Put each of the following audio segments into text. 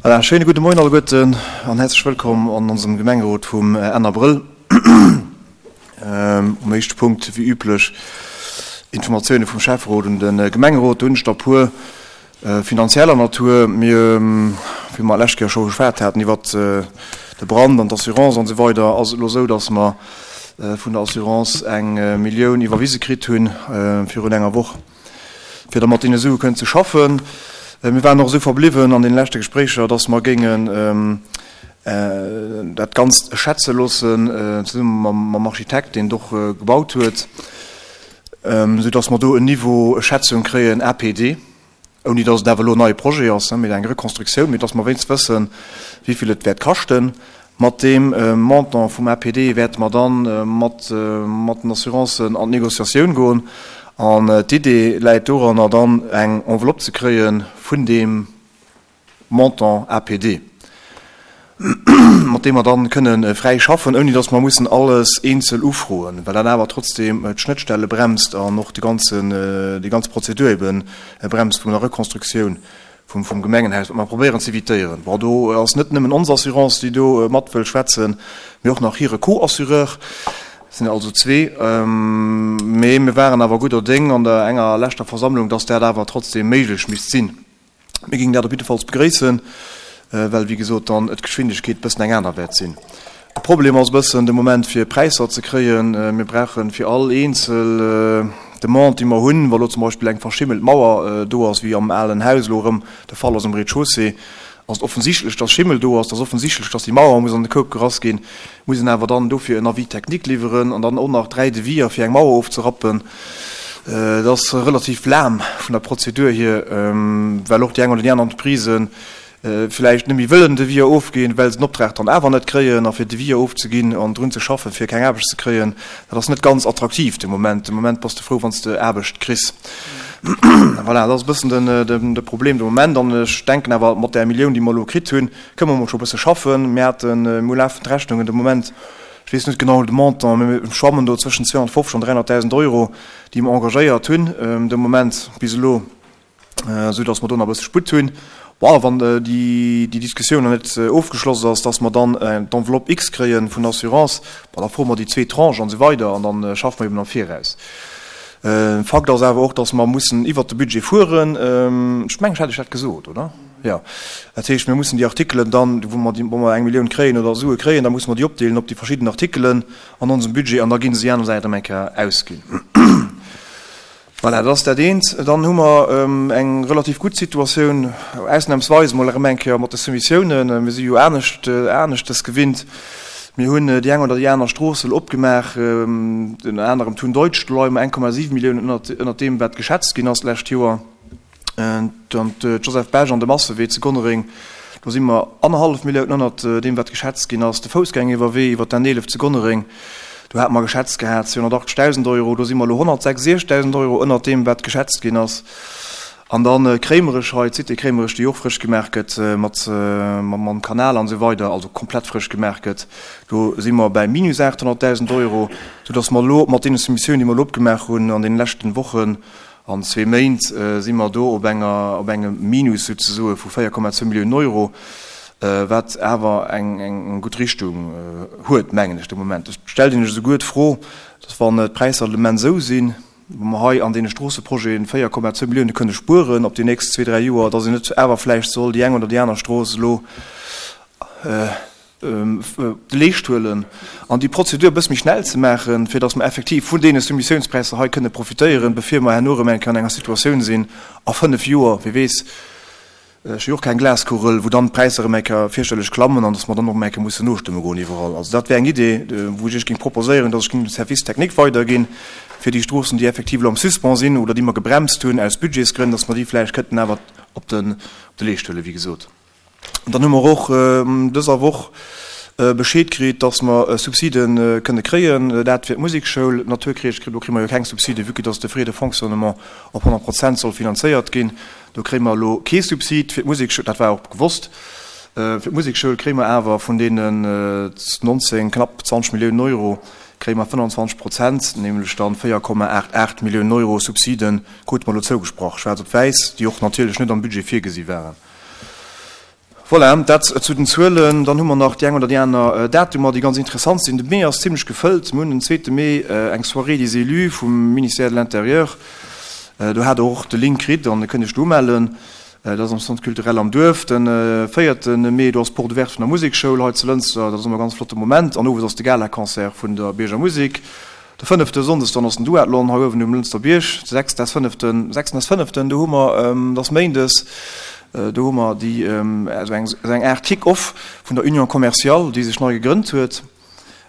Voilà, schéine gudde Moien alleguerten an häerzlech wëllkomm an onsem Gemengerot vum Enn Abrëll. Um éischte Punkt, wéi üblech, Informatioune vum Schäfferot un de Gemengerot. Do hunn ech der e puer finanzieller Natur. Mir, wéi mer d'lescht Kéier scho geschwat haten iwwert de Brand an d'Assurance an esou weider, ass et elo esou, datt mer vun der Assurance eng Millioun iwwerwise kritt hunn virun enger Woch. fir da mat deene Sue kënnen ze schaffen. Mir waren och esou verbliwwen an deene leschte Gespréicher, dass mer géingen dat Ganzt schätze loossen, zesumme mam Architekt, deen et och gebaut huet, esou dass mer do en Niveau Schätzung kréien, APD, ouni dass et awer elo en neie Projet ass, mee eng Rekonstruktioun, mee dass mer wéinst wëssen, wéi vill et wäert kaschten. Mat deem Montant vum APD wäerte mer dann mat den Assurancen an d'Négociatioun goen. An d'Idee läit doranner, dann eng Enveloppe ze kréie vun deem Montant APD, mat deem mer dann kënne fräi schaffen, ouni datt mer mussen alles eenzel ufroen, well dat awer trotzdeem d'Schnëttstelle bremst an och déi ganz Prozedur ebe bremst vun der Rekonstruktioun. vum Gemengenhaus, wat mer probéieren ze évitéieren. Bon, do ass net nëmmen ons Assurance, déi do mat wëll schwätzen, mee och nach hire Co-Assureur. Et sinn also zwee. Mee mir waren awer gudder Déng an der enger leschter Versammlung, dass dat awer trotzdem méiglech misst sinn. Mir géingen dat op jiddefalls begréissen, well, wéi gesot, dann d'Geschwindegkeet e bëssen eng aner wäert sinn. De Problem ass e bëssen de Moment fir Präisser ze kréien. Mir brauche fir all eenzel Demande déi mer hunn, wa lo zum Beispill eng verschimmelt Mauer do ass, wéi am alen Haus elo erëm de Fall ass um Rez-de-chaussée, ass et offensichtlech, dass Schimmel do ass, et ass offensichtlech, dass déi Mauer muss an de Koup gerass ginn, muss een awer dann dofir en Avis technique liwweren an dann och nach 3 Deviser fir eng Mauer ofzerappen. Et ass relativ lahm vun der Prozedur hier, well och déi eng oder déi aner Entreprise vläicht net méi wëllen Deviser ofginn, well se den Optrag dann awer net kréien. A fir Deviser ofzeginn an drun ze schaffen, fir keng Aarbecht ze kréien, dat ass net ganz attraktiv de Moment. De Moment bass de frou, wann s de Aarbecht kriss. Voilà, dat ass e bëssen de Problem de Moment. An ech denken awer, mat där Millioun, déi mer elo kritt hunn, kënne mer mol scho e bësse schaffen. Mir haten, mir hu lafend Rechnungen de Moment, ech weess net genau de Montant, mä mir schwammen do zwëschen 250 an 300.000 Euro, déi mer engagéiert hunn de Moment bis elo. esou dass mer do nach e bësse Sputt hunn. Bon, wann déi Diskussioun nach net ofgeschloss ass, dass mer dann d'Enveloppe X kréie vun der Assurance, bon, da froe mer déi zweet Tranche an esou weider an da schaffe mer eben am Viraus. Fakt ass awer och, dass mer mussen iwwert de Budget fueren. Ech mengen, ech hat Iech dat gesot, oder? Jo. Dat heescht, mir mussen déi Artikelen dann, wou mer déi, wou mer eng Millioun kréien oder Sue kréien, da musse mer déi opdeelen op déi verschidden Artikelen an onsem Budget an da gi se déi aner Säit erëm eng Kéier ausginn. Voilà, dat ass dat eent. Dann hu mer eng relativ gutt Situatioun, ausnahmsweis emol erëm eng Kéier mat de Soumissiounen. Mir si jo anescht, aneschtes gewinnt. Mir hunn déi eng oder déi aner Strooss elo opgemaach, ënner anerem d'Hunn Deutsch, do leie mer 1,7 Milliounen ënnert, ënnert deem, wat geschätzt ginn ass d'lescht Joer. Dann d'Joseph Bech an de Massewee zu Gonnereng, do si mer annerhallef Millioun ënnert deem, wat geschätzt ginn ass. De Foussgängeriwwerwee iwwer d'N 11 zu Gonnereng, do hate mer geschätzt gehat 280.000 Euro, do si mer elo 166.000 Euro ënnert deem, wat geschätzt ginn ass. An da Kréimerech hei, d'Cité Kréimerech, déi och frësch gemaach gëtt mat mam Kanal an esou weider, also komplett frësch gemaach gëtt, do si mer bäi minus 800.000 Euro, soudass mer elo mat deene Soumissiounen, déi mer elo opgemaach hunn an deene leschten Wochen, An zwee Méint si mer do op enger, op engem Minus souzesoe vu 4,2 Milliounen Euro, wat awer eng gutt Richtung huet, mengen ech de Moment. Et stellt een sech esouguer d'Fro, dass wann d'Präisser de Moment esou sinn, wa mer hei an deene Stroosseprojeten 4,2 Millioune kënne spueren op déi nächst zwee, dräi Joer, dass een net awer vläicht soll déi eng oder déi aner Strooss elo de Leescht huelen an déi Prozedur e bësse méi schnell ze maachen, fir datt mer effektiv vun deene Soumissiounspräisser hei kënne profitéieren, bevir mer herno erëm eng Kéier an enger Situatioun sinn a fënnf Joer, wie weess, ech hu jo och keng Glaskugel, wou dann d'Präisser erëm eng Kéier fierchterlech klammen an datt mer dann och erëm eng Kéier mussen nostëmme goen iwwerall. Also dat wär eng Idee, wou ech Iech géing proposéieren, datt ech géing dem Service technique weiderginn, fir déi Stroossen, déi effektiv elo am Suspens sinn oder déi mer gebremst hunn aus Budgetsgrënn, datt mer déi vläicht kënnten awer op de Leescht huelen, wéi gesot. Dann hu mer och dëser Woch Bescheed kritt, dass mer Subside kënne kréien, dat fir d'Musekschoul. D'Naturkierch, do kréie mer jo keng Subside, vue que dass de Frais de fonctionnement op 100 Prozent soll finanzéiert ginn. Do kréie mer elo kee Subsid fir d'Musekschoul, dat war och gewosst. Fir d'Musekschoul kréie mer awer vun deenen 19, knapp 20 Milliounen Euro, kréie mer 25 Prozent, nämlech dann 4,88 Milliounen Euro Subsiden, krute mer elo zougesprach, schwaarz op wäiss, déi och natierlech net am Budget virgesi waren. Voilà, dat zu den Zuelen. Dann hu mer nach déi eng oder déi aner Datumer, déi ganz interessant sinn. De Mee ass zimlech gefëllt. Mir hunn den zweete Mee eng Soirée des élus vum Ministère de l'Intérieur. Do hat Der och de Link kritt an kënnt Iech do umellen. Dat ass am Centre culturel am Duerf. De véierte Mee, do ass d'Porte ouverte vun der Musekschoul hei zu Lënster. Dat ass ëmmer e ganz flotte Moment. An owes ass de Galaconcert vun der Bierger Musek. De fënnefte Sonndes dann ass den Duathlon hei uewen um Lënster Bierg. De sechsten s fënneften, sechsten s fënneften, do hu mer, dat ass méindes, do hu mer déi, esou eng, esou eng Aart Kick-off vun der Union Commerciale, déi sech nei gegrënnt huet,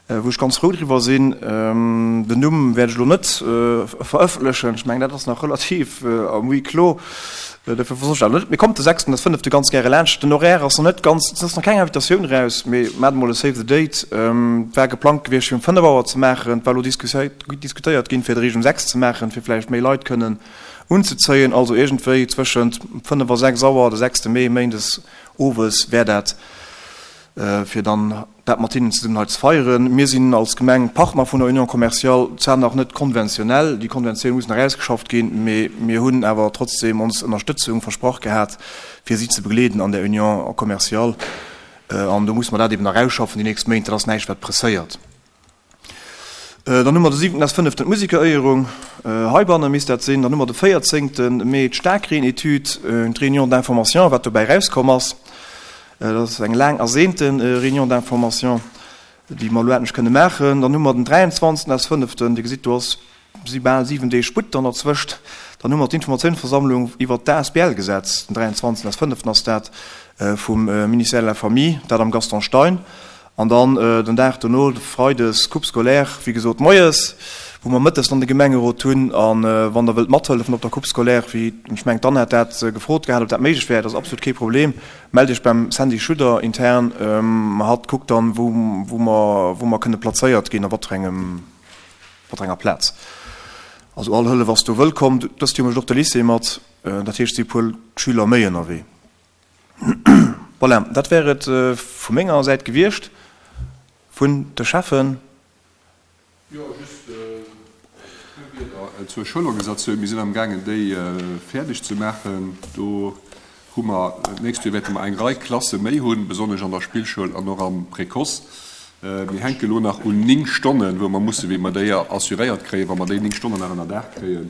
wou ech ganz frou driwwer sinn. Den Numm wäert ech elo net verëffentlechen, ech mengen dat ass nach relativ am Huis clos. Dofir versoss ech dat net. Mee kommt de sechsten s fënnefte ganz gäre laanscht. Den Horaire ass nach net ganz, et ass nach keng Invitatioun raus, mee maacht emol e Save the Date. Et war geplangt gewiescht fir um 5 Auer ze maachen. Et war elo diskutéiert ginn, fir et eréischt um 6 ze maachen, fir vläicht méi Leit kënnen unzezéien. Also iergendwéi zwëschent 5 a 6 Auer de sechste Mee, méindes owes, wär dat, fir dann dat mat hinnen zesummen hei ze feieren. Mir sinn als Gemeng Partner vun der Union commerciale, zwar nach net konventionell, déi Konventioun muss nach ausgeschafft ginn, mee mir hunn awer trotzdeem ons Ënnerstëtzung versprach gehat, fir si ze begleeden an der Union commerciale. An do musse mer dat eben nach ausschaffen déi nächst Méint. Dat ass näischt, wat presséiert. Dann hu mer de siwenten s fënneften d'Musekeréierung, heibanne misst dat sinn. Dann hu mer de véierzéngte Mee d'Staarkreen-Etüd, d'Réunion d'information, wat dobäi erauskomm ass. Dat ass eng laang ersehnte Réunion d'information, déi mer elo endlech kënne maachen. Dann hu mer den 23. s fënneften, Dir gesitt, do ass si bal 7 Deeg Sputt dann derzwëscht. Dann hu mer d'Informatiounsversammlung iwwert d'ASBL-Gesetz, den 23. s fënneften ass dat, vum Ministère de la Famille, dat am Gaston Stein. An dann den Dag dono, freides, Coupe scolaire, wéi gesot moies, wou mer mëttes dann de Gemengerot hunn. A wann Der wëllt mathëllefen op der Coupe scolaire, wéi ech mengen d'Anne hat dat gefrot gehat, ob dat méiglech wär, dat ass absolut kee Problem, mellt Iech beim Sandy Schudder intern. Hatt kuckt dann, wou mer, wou mer kënne plazéiert ginn, a wat fir engem, wat fir enger Plaz. Also all Hëllef ass do wëllkomm. Dëst Joer mécht och de Lycée mat, dat heescht, et si e puer Schüler méi ënnerwee. Voilà, dat wär et vu menger Säit gewiescht, vun de Cheffen. Jo, just e puer Wierder zur Schoulorganisatioun. Mir sinn amgaangen, déi fäerdeg ze maachen. Do hu mer, d'nächst Joer wäerte mer eng Rei Klasse méi hunn, besonnesch an der Spillschoul an och am Précoce. Mir hänke elo nach un 9 Stonnen, wou mer musse, wéi mer déi assuréiert kréien. Wa mer déi 9 Stonnen nach ënnerdaach kréien,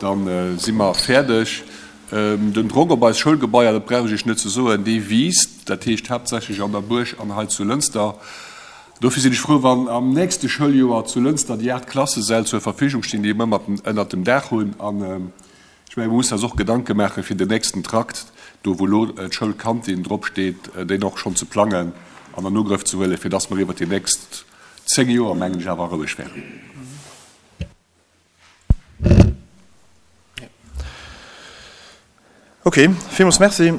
da si mer fäerdeg. Den Drock op eis Schoulgebaier, dat brauch ech Iech net ze soen, dee wiisst, dat heescht haaptsächlech an der Buerg an hei zu Lënster. Dofir sinn ech frou, wann am nächste Schouljoer zu Lënster déi 8 Klassesäll zur Verfügung stinn, déi mer ëmmer ënnert dem Daach hunn. An ech mengen, mer mussen eis och Gedanke maache fir den nächsten Trakt, do wou elo d'Schoulkantin drop steet, deen och schonn ze plangen an an Ugrëff ze huelen, fir dass mer iwwert déi nächst 10 Joer, mengen ech, awer roueg wären. Ok, villmools Merci.